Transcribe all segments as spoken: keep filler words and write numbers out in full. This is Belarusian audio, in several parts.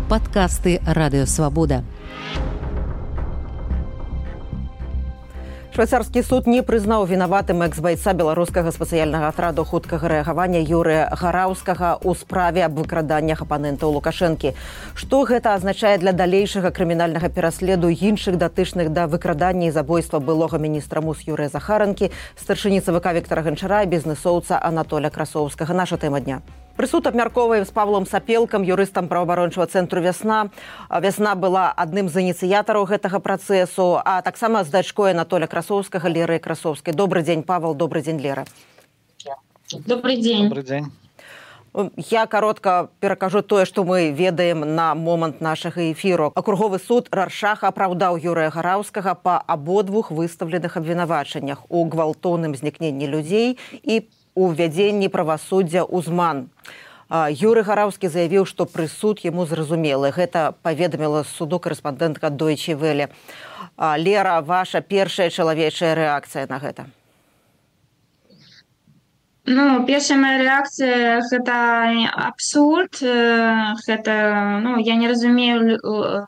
Падкасты Радыё Свабода. Швейцарскі суд не прызнаў вінаватым экс-байца беларускага спецыяльнага атраду хуткага рэагавання Юрыя Гараўскага ў справе аб выкраданнях апанентаў Лукашэнкі. Што гэта азначае для далейшага крымінальнага пераследу іншых датычных да выкрадання і забойства былога міністра МУС Юрыя Захаранкі, старшыні ЦВК Віктара Ганчара і бізнэсоўца Анатоля Красоўскага. Наша тэма дня. Прысуд абмяркоўваем з Павлом Сапелкам, юрыстам праваабарончага цэнтру «Вясна». «Вясна» была адным з ініцыятараў гэтага працэсу, а таксама з дачкой Анатоля Красоўскага, Леры Красоўскай. Добрый дзень, Павел, добрый дзень, Лера. Добрый дзень. Добрый дзень. Я каротка перакажу тое, што мы ведаем на момант нашага эфіру. Акруговы суд Раршаха апраўдаў Юрыя Гараўскага па абодвух выстаўленых абвінавачаннях у гвалтоўным знікненні людзей і у ввядзенні правасуддзя ў зман. Юрый Гараўскі заявіў, што прысуд яму зразумелы. Гэта паведаміла суду карэспандэнтка Deutsche Welle. Лера, ваша першая чалавечая рэакцыя на гэта? Ну, першая моя рэакцыя – гэта абсурд. Гэта, ну, я не разумею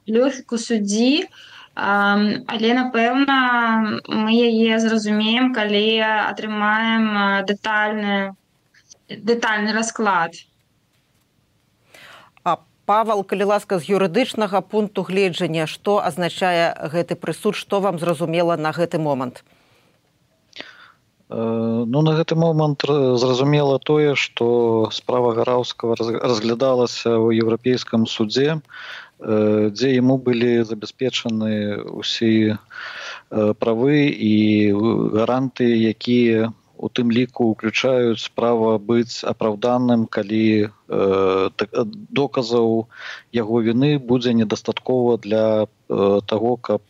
логіку суддзі. Um, але, напэўна, мы яе зразумеем, калі атрымаем дэтальны, дэтальны расклад. А, Павел, калі ласка, з юрыдычнага пункту гледжання, што азначае гэты прысуд, што вам зразумела на гэты момант? Uh, ну, на гэты момант зразумела тое, што справа Гараўскага разглядалася ў Еўрапейскім судзе, дзе яму былі забяспечаны ўсе правы і гаранты, якія у тым ліку ўключаюць права быць апраўданым, калі доказаў яго віны будзе недастаткова для таго, каб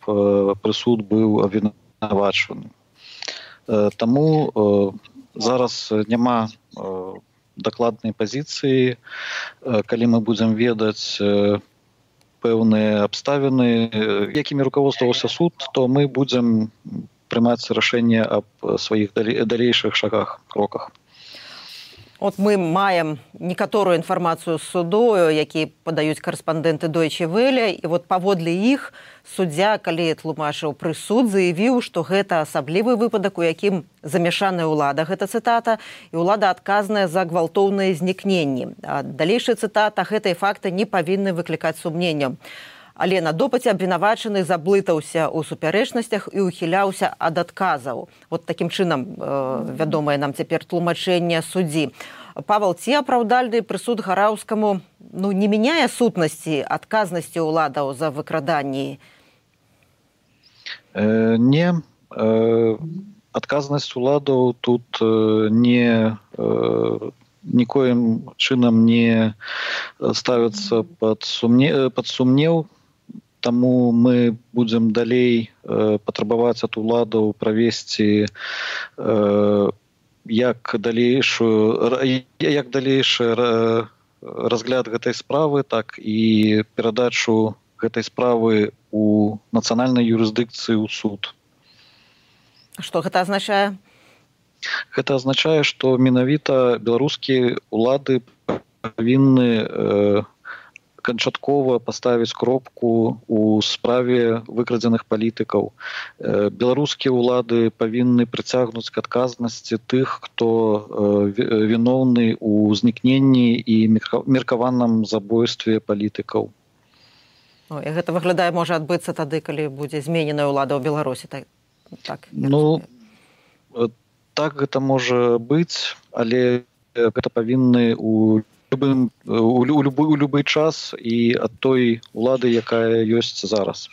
прысуд быў абвінавачваны. Таму зараз няма дакладнай пазіцыі, калі мы будзем ведаць пэўныя абставіны, якімі руководстваваўся суд, то мы будзем прымаць рашэнне аб сваіх далейшых шагах, кроках. От мы маем некаторую інфармацыю з суду, які падаюць карэспандэнты Deutsche Welle, і вот паводле іх суддзя, калі тлумачыў прысуд, заявіў, што гэта асаблівы выпадак, у якім замяшаная ўлада, гэта цытата, і ўлада адказная за гвалтоўныя знікненні. Далейшая цытата, гэтыя факты не павінны выклікаць сумненняў. Але на допыце абвінавачаны заблытаўся ў супярэчнасцях і ухіляўся ад адказаў. Вот такім чынам э, вядомае нам цяпер тлумачэнне суддзі. Павел, ці апраўдальны прысуд Гараўскаму ну, не мяняе сутнасці адказнасці ўладаў за выкраданні? Э, не. Э, адказнасць уладаў тут э, не... Э, нікоім чынам не ставіцца пад сумне... пад сумнеў. Таму мы будзем далей э, патрабаваць ад уладаў правесці э, як далейшую як далейшы разгляд гэтай справы, так і перадачу гэтай справы у нацыянальнай юрысдыкцыі ў суд. Што гэта азначае? Гэта азначае, што менавіта беларускія ўлады павінны э, канчаткова паставіць кропку у справе выкрадзеных палітыкаў. Беларускія ўлады павінны прыцягнуць к адказнасці тых, хто віноўны ў знікненні і меркаваным забойстве палітыкаў. О, і гэта выглядае можа адбыцца тады, калі будзе змененая ўлада ў Беларусі. Так, так, ну, так гэта можа быць, але гэта павінны у любым, у, у, любы, у любы час і ад той улады, якая ёсць зараз.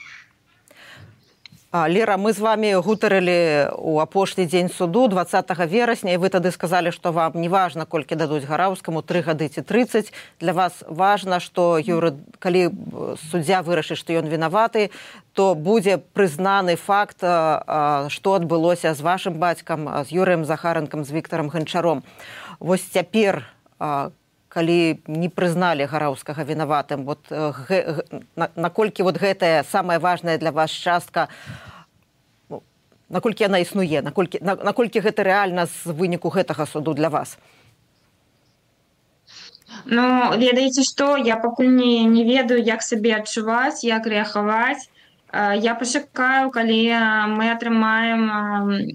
А, Лера, мы з вами гутарылі ў апошні дзень суду дваццатага верасня, і вы тады сказалі, што вам не важна, колькі дадуць Гараўскаму, тры гады ці трыццаць. Для вас важна, што юры... калі суддзя вырашыць, што ён вінаваты, то будзе прызнаны факт, што адбылося з вашым бацькам, з Юрыем Захаранкам, з Віктарам Ганчаром. Вось цяпер, калі не прызналі Гараўскага вінаватым, вот, гэ, на, наколькі вот гэтая самая важная для вас частка, наколькі яна існуе, наколькі, на, наколькі гэта рэальна з выніку гэтага суду для вас? Ну, ведаеце што, я пакуль не, не ведаю, як сабе адчуваць, як рэагаваць. Я пачакаю, калі мы атрымаем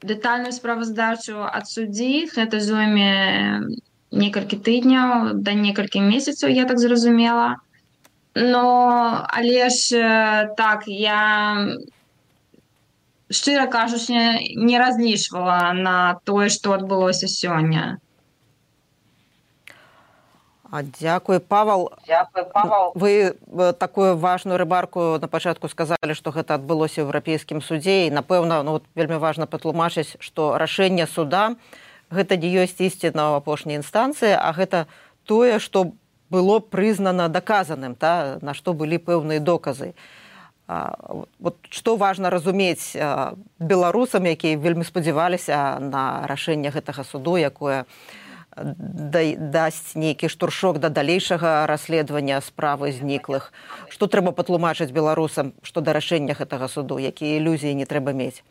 дэтальную справаздачу ад суддзі. Гэта зойме некалькі тыдняў да некалькі месяцаў, я так зразумела. Но, але ж так, я, шчыра кажучы, не разлічвала на тое, што адбылося сёння. Дзякуй, Павал. Дзякуй, Павал. Вы такую важную ремарку на пачатку сказалі, што гэта адбылося ў Еўрапейскім судзе, і, напэўна, ну, вельмі важна патлумачыць, што рашэнне суда гэта не ёсць ісціна ў апошняй інстанцыі, а гэта тое, што было прызнана даказаным, та, на што былі пэўныя доказы. А, вот, што важна разумець а, беларусам, якія вельмі спадзяваліся на рашэнне гэтага суду, якое дасць нейкі штуршок да далейшага расследавання справы зніклых. Што трэба патлумачыць беларусам, што да рашэння гэтага суду, якія ілюзіі не трэба мець?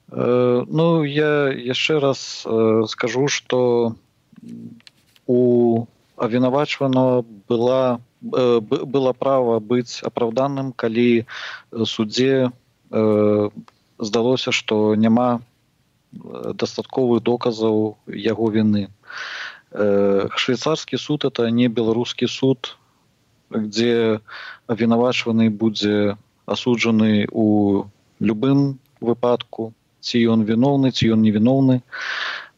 Э, ну, я яшчэ раз э, скажу, што у абвінавачванага была, э, было права быць апраўданым, калі суддзе э, здалося, што няма дастатковых доказаў яго вины. Швейцарскі суд — это не беларускі суд, где абвінавачваны будзе асуджаны у любым выпадку, ці ён віноўны, ці ён невіноўны.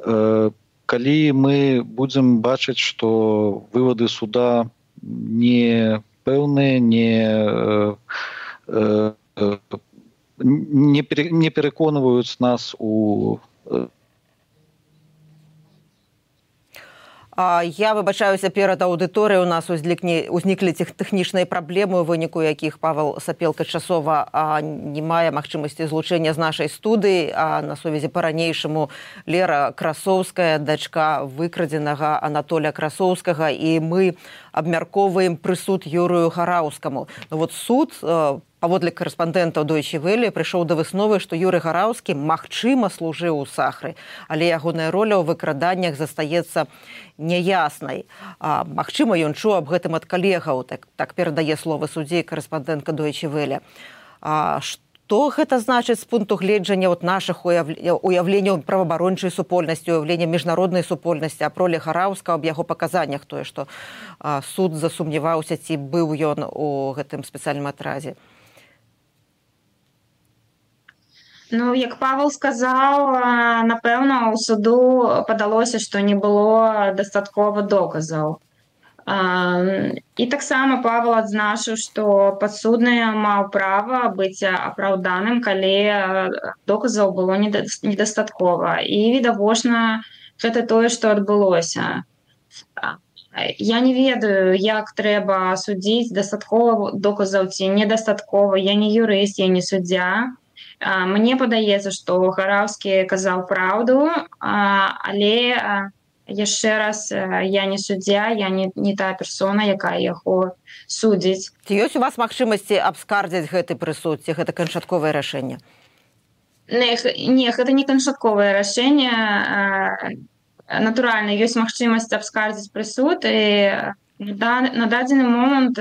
Калі мы будзем бачыць, што вывады суда не пэўныя, не Не, пере, не переконывают нас у... Я выбачаюся перад аўдыторыяй. У нас узніклі, узніклі тэхнічныя праблемы, у выніку якіх Павел Сапелка часова не мае магчымасці злучэння з нашай студыі, а на сувязі па-ранейшаму Лера Красоўская, дачка выкрадзенага Анатолія Красоўскага, і мы абмяркоўваем прысуд Юрыю Гараўскаму. Ну, вот суд, паводле карэспандэнтаў Deutsche Welle, прыйшоў да высновы, што Юрый Гараўскі магчыма служыў у Сахры, але ягоная роля ў выкраданнях застаецца няяснай. А, магчыма, ён чуў аб гэтым ад калегаў, так, так перадае словы суддзі карэспандэнтка Deutsche Welle. А, што гэта значыць з пункту гледжання от нашых уяўленняў праваабарончай супольнасці, уяўлення міжнароднай супольнасці, аб ролі Гараўскага, аб яго паказаннях, тое, што а, суд засумняваўся, ці быў ён у гэтым спецыяльным атразе? Ну, як Павел сказаў, напэўна, у суду падалося, што не было дастаткова доказаў. І таксама Павел адзначыў, што падсудны маў права быць апраўданым, калі доказаў было недастаткова. І, відавочна, гэта тое, што адбылося. Я не ведаю, як трэба судзіць, дастаткова доказаў ці недастаткова. Я не юрыст, я не суддзя. Мне падаецца, што Гараўскі казаў праўду, але яшчэ раз, я не суддзя, я не, не тая персона, якая яго судзіць. Ці ёсць у вас магчымасці абскардзіць гэты прысуд, ці гэта канчатковае рашэнне? Не, не, гэта не канчатковае рашэнне. Натуральна, ёсць магчымасць абскардзіць прысуд, і на дадзены момант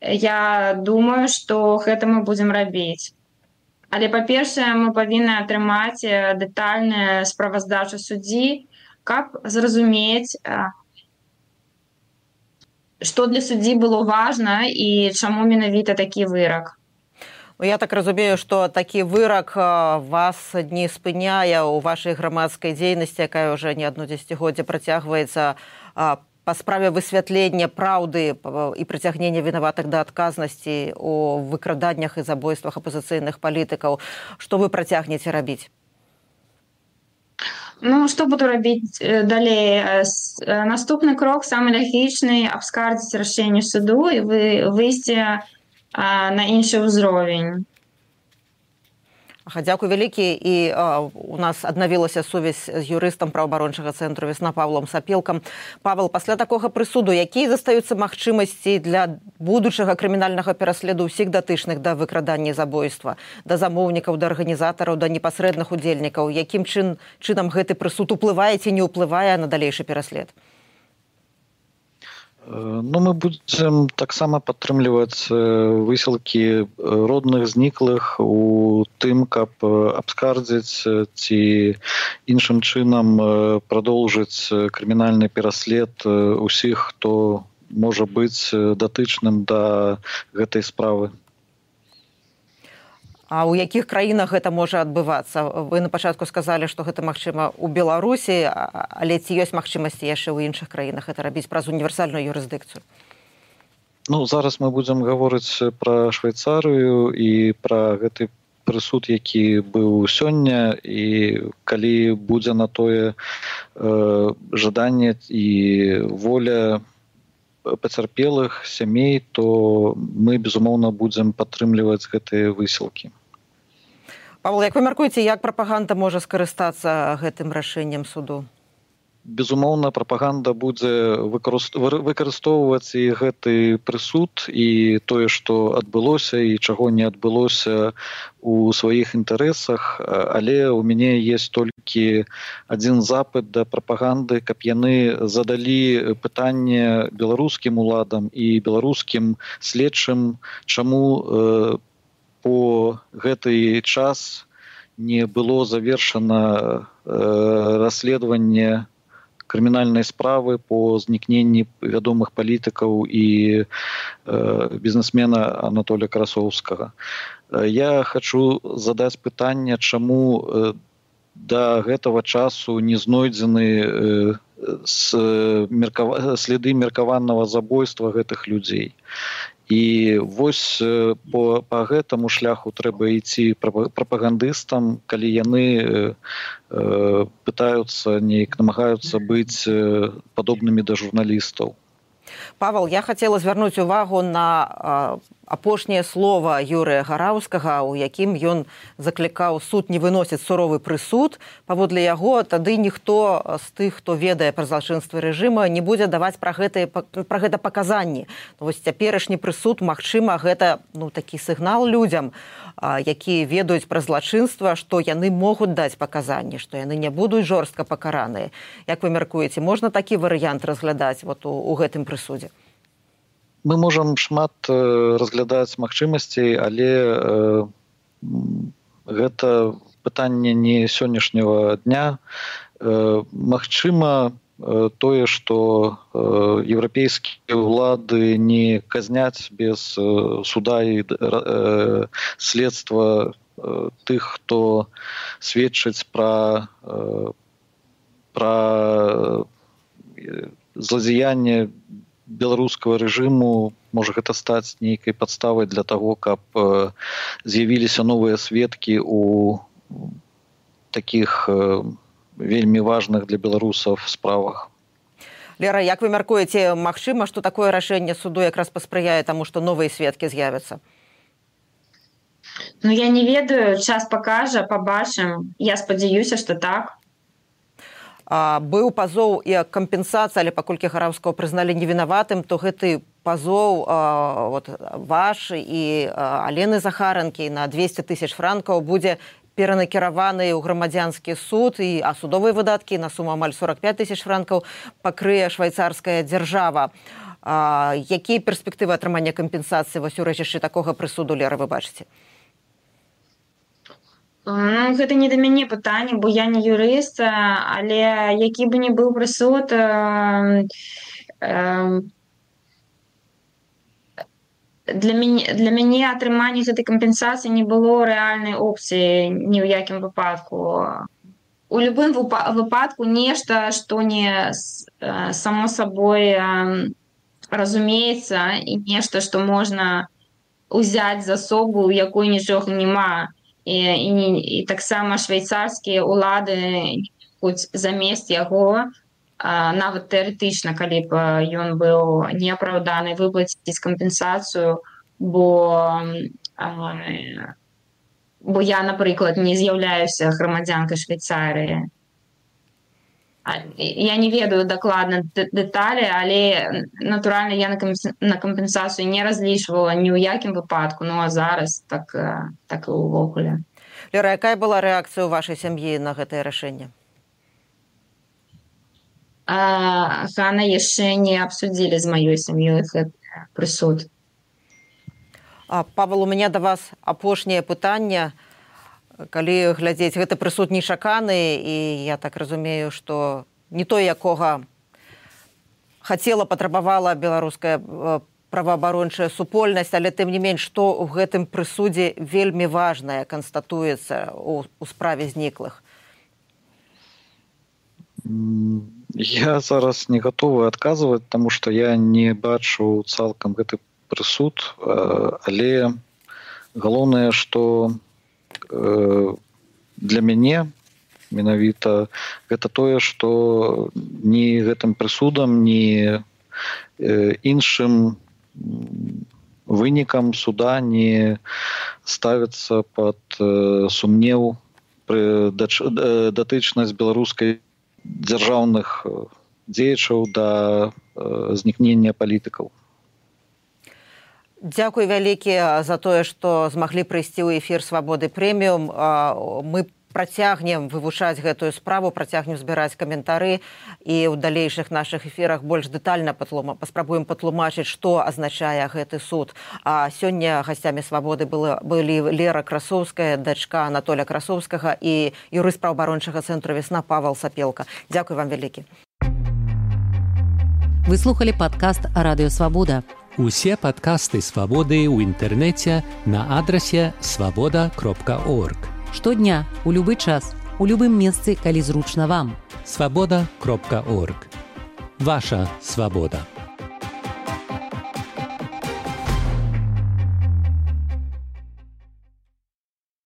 я думаю, што гэта мы будзем рабіць. Але, па-першае, мы павінны атрымаць дэтальную справаздачу суддзі, каб зразумець, што для суддзі было важна і чаму менавіта такі вырак. Я так разумею, што такі вырак вас не спыняе ў вашай грамадскай дзейнасці, якая ўжо не адно дзесяцігоддзе працягваецца па справе высвятлення праўды і прыцягнення вінаватых да адказнасці у выкраданнях і забойствах апазіцыйных палітыкаў. Што вы працягнеце рабіць? Ну, што буду рабіць далей? Наступны крок, самы лагічны, абскардзіць рашэнне суду і выйсці на іншы ўзровень. Дзякуй вялікі, і а, у нас аднавілася сувязь з юрыстам праваабарончага цэнтру «Весна» Павлом Сапелкам. Павел, пасля такога прысуду, якія застаюцца магчымасці для будучага крымінальнага пераследу ўсіх датычных да выкрадання і забойства, да замоўнікаў, да арганізатараў, да непасрэдных удзельнікаў? Якім чын, чынам гэты прысуд уплывае ці не ўплывае на далейшы пераслед? Ну, мы будзем таксама падтрымліваць высілкі родных зніклых у тым, каб абскардзіць ці іншым чынам прадоўжыць крымінальны пераслед усіх, хто можа быць датычным да гэтай справы. А ў якіх краінах гэта можа адбывацца? Вы на пачатку сказалі, што гэта магчыма ў Беларусі, але ці ёсць магчымасці яшчэ ў іншых краінах гэта рабіць праз універсальную юрысдыкцыю? Ну, зараз мы будзем гаворыць пра Швейцарыю і пра гэты прысуд, які быў сёння, і калі будзе на тое э, жаданне і воля пацярпелых сямей, то мы, безумоўна, будзем падтрымліваць гэтыя высілкі. Павел, як вы мяркуеце, як прапаганда можа скарыстацца гэтым рашэннем суду? Безумоўна, прапаганда будзе выкарыстоўваць і гэты прысуд, і тое, што адбылося і чаго не адбылося у сваіх інтарэсах, але ў мяне ёсць толькі адзін запыт да прапаганды, каб яны задалі пытанне беларускім уладам і беларускім следчым, чаму э, по гэты час не было завершана э, расследаванне крымінальнай справы по знікненні вядомых палітыкаў і э, бізнесмена Анатолія Красоўскага. Я хочу задаць пытанне, чаму э, да гэтага часу не знойдзены э, с, меркава, следы меркаванага забойства гэтых людзей. І вось по, по гэтаму шляху трэба ісці прапагандыстам, калі яны э, пытаюцца, неяк намагаюцца быць э, падобнымі да журналістаў. Павел, я хотела звярнуць увагу на э, апошняе слова Юрыя Гараўскага, у якім ён заклікаў суд не выносіць суровы прысуд. Паводле яго, тады ніхто з тых, хто ведае пра злачынствы рэжыма, не будзе даваць пра гэта, пра гэта паказанні. Ну, вось цяперашні прысуд, магчыма, гэта ну, такі сігнал людзям, э, якія ведаюць пра злачынства, што яны могуць даць паказанні, што яны не будуць жорстка пакараныя. Як вы мяркуеце, можна такі варыянт разглядаць вот, у, у гэтым прысудзе? Мы можам шмат э, разглядаць магчымасцей, але э, гэта пытанне не сённяшняга дня. Э, магчыма э, тое, што э, еўрапейскія ўлады не казняць без э, суда і э, следства э, тых, хто сведчыць пра, э, пра э, злодзеянне беларускага рэжыму, можа гэта стаць нейкай падставай для таго, каб э, з'явіліся новыя сведкі у такіх э, вельмі важных для беларусаў справах. Лера, як вы мяркуеце, магчыма, што такое рашэнне суду якраз паспрыяе таму, што новыя сведкі з'явяцца? Ну, я не ведаю, час пакажа, пабачым. Я спадзяюся, што так. А, быў пазоў і кампенсацыя, але паколькі Гараўскага прызналі невінаватым, то гэты пазоў а, вот, ваш і а, Алены Захаранкі на двесце тысяч франкаў будзе перанакіраваны ў грамадзянскі суд, і, а судовыя выдаткі на суму амаль сорок пять тысяч франкаў пакрые швейцарская дзяржава. А, якія перспектывы атрымання кампенсацыі вось у рэчышчы такога прысуду, Лера, вы бачыце? Ну, гэта не да мяне пытанне, бо я не юрыст, але які бы ні быў прысуд, э, э, для мяне, для мяне атрыманне гэтай кампенсацыі не было рэальнай опцыі ні ў якім выпадку. У любым выпадку нешта, што не э, само сабой э, разумеецца, і нешта, што можна ўзяць за асобу, у якой нічога няма. І, і, і таксама швейцарскія ўлады хоць замест яго, а, нават тэарэтычна, калі б ён быў неапраўданы, выплаціць кампенсацыю, бо а, бо я, наприклад, не з'яўляюся грамадзянкай Швейцарыі. Я не ведаю дакладна дэталі, але, натуральна, я на кампенсацыю не разлічвала ні ў якім выпадку, ну а зараз так, так і ўвогуле. Лера, якая была рэакцыя ў вашай сям'і на гэтае рашэнне? Хана яшчэ не абсудзілі з маёй сям'ёй гэты прысуд. Павел, у мяне да вас апошняе пытанне. Калі глядзець, гэты прысуд нечаканы, і я так разумею, што не той, якога хацела, патрабавала беларуская праваабарончая супольнасць, але тым не менш, што ў гэтым прысудзе вельмі важнае канстатуецца ў, у справе зніклых? Я зараз не гатовы адказваць, таму што я не бачу цалкам гэты прысуд, але галоўнае, што для мяне менавіта гэта тое, што ні гэтым прысудам, ні іншым вынікам суда не ставіцца пад сумнеў датычнасць беларускай дзяржаўных дзеячаў да знікнення палітыкаў. Дзякуй вялікі за тое, што змаглі прыйсці ў эфір «Свабоды прэміум». Мы працягнем вывучаць гэтую справу, працягнем збіраць каментары і ў далейшых нашых эфірах больш дэтальна паспрабуем патлумачыць, што азначае гэты суд. А сёння гасцямі «Свабоды» былі Лера Красоўская, дачка Анатоля Красоўскага і юрыст праваабарончага цэнтру «Весна» Павел Сапелка. Дзякуй вам вялікі. Вы слухали падкаст «Радыё Свабода». Усе падкасты «Свабоды» ў інтэрнэце на адрасе свабода кропка орг. Штодня, у любы час, у любым месцы, калі зручна вам. свабода кропка орг. Ваша свабода.